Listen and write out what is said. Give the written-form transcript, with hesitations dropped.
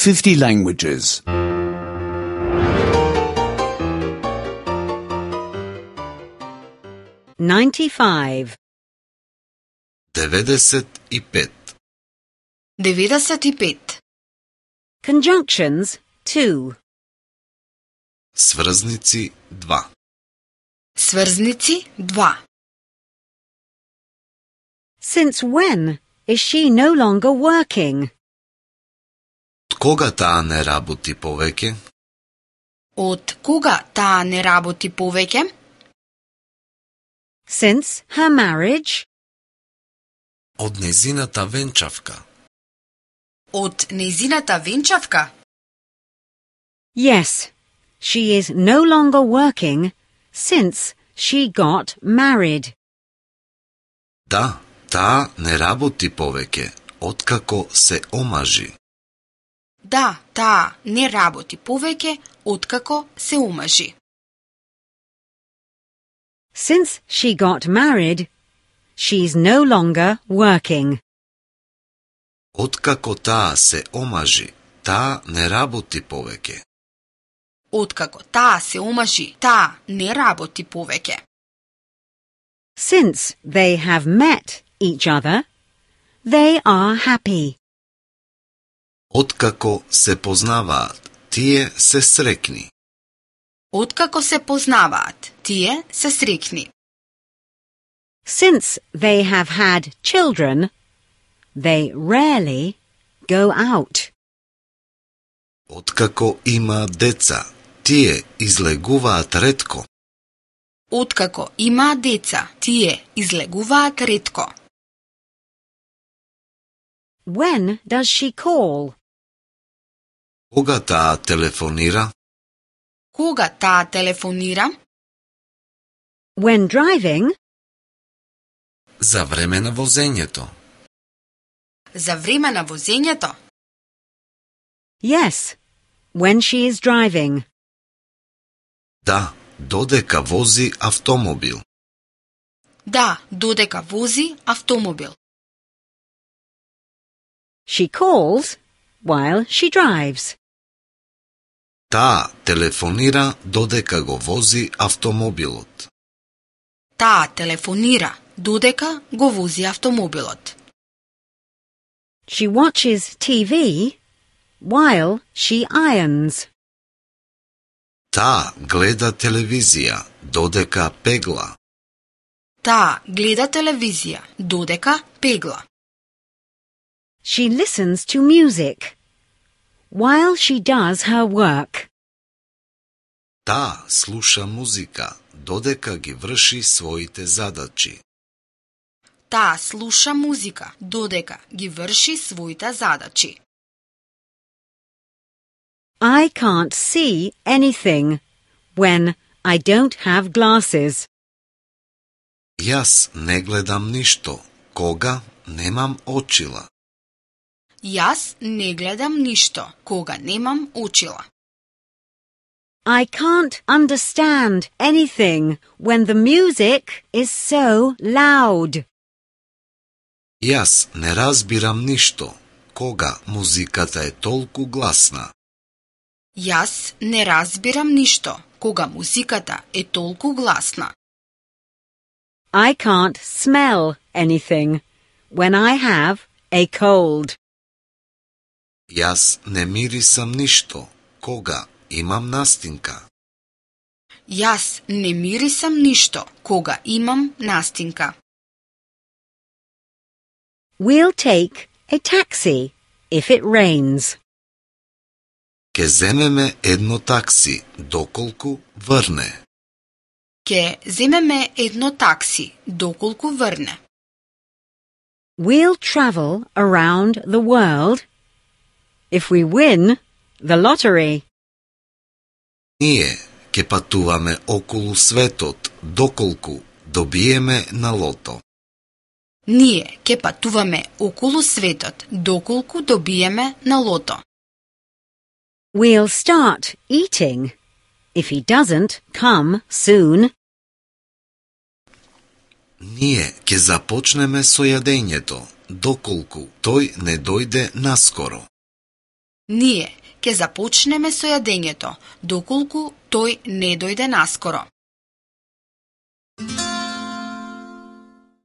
50 languages. 95. 95. 95. Conjunctions 2. Сврзници 2. Сврзници 2. Since when is she no longer working? Од кога таа не работи повеќе? Од кога таа не работи повеќе? Since her marriage? Од незината венчавка. Од незината венчавка? Yes, she is no longer working since she got married. Да, таа не работи повеќе откако се омажи. Да, таа не работи повеќе откако се омажи. Since she got married, she's no longer working. Откако таа се омажи, таа не работи повеќе. Откако таа се омажи, таа не работи повеќе. Since they have met each other, they are happy. Откако се познаваат, тие се среќни. Откако се познаваат, тие се среќни. Since they have had children, they rarely go out. Откако има деца, тие излегуваат ретко. Откако има деца, тие излегуваат ретко. When does she call? Кога таа телефонира? Кога таа телефонира? When driving? За време на возењето. За време на возењето? Yes, when she is driving. Да, додека вози автомобил. Да, додека вози автомобил. She calls while she drives. Таа телефонира додека го вози автомобилот. Таа телефонира додека го вози автомобилот. She watches TV while she irons. Таа гледа телевизија додека пегла. Таа гледа телевизија додека пегла. She listens to music while she does her work. Таа слуша музика додека ги врши своите задачи. Таа слуша музика додека ги врши своите задачи. I can't see anything when I don't have glasses. Јас не гледам ништо кога немам очила. Јас не гледам ништо кога немам очила. I can't understand anything when the music is so loud. Јас не разбирам ништо кога музиката е толку гласна. Јас не разбирам ништо кога музиката е толку гласна. I can't smell anything when I have a cold. Јас не мирисам ништо кога имам настинка. Јас не мирисам ништо кога имам настинка. We'll take a taxi if it rains. Ке земеме едно такси доколку врне. Ке земеме едно такси доколку врне. We'll travel around the world if we win the lottery. Ние ке патуваме околу светот доколку добиеме на лото. Ние ке патуваме околу светот доколку добиеме на лото. We'll start eating if he doesn't come soon. Ние ќе започнеме со јадењето, доколку тој не дојде наскоро. Ние ќе започнеме со јадењето, доколку тој не дојде наскоро.